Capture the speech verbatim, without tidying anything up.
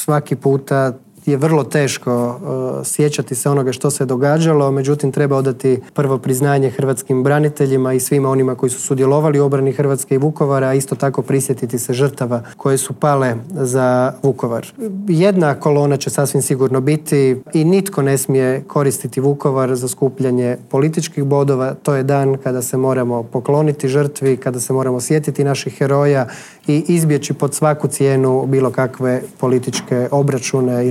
svaki puta je vrlo teško uh, sjećati se onoga što se događalo, međutim treba odati prvo priznanje hrvatskim braniteljima i svima onima koji su sudjelovali u obrani Hrvatske i Vukovara, a isto tako prisjetiti se žrtava koje su pale za Vukovar. Jedna kolona će sasvim sigurno biti i nitko ne smije koristiti Vukovar za skupljanje političkih bodova. To je dan kada se moramo pokloniti žrtvi, kada se moramo sjetiti naših heroja i izbjeći pod svaku cijenu bilo kakve političke obračune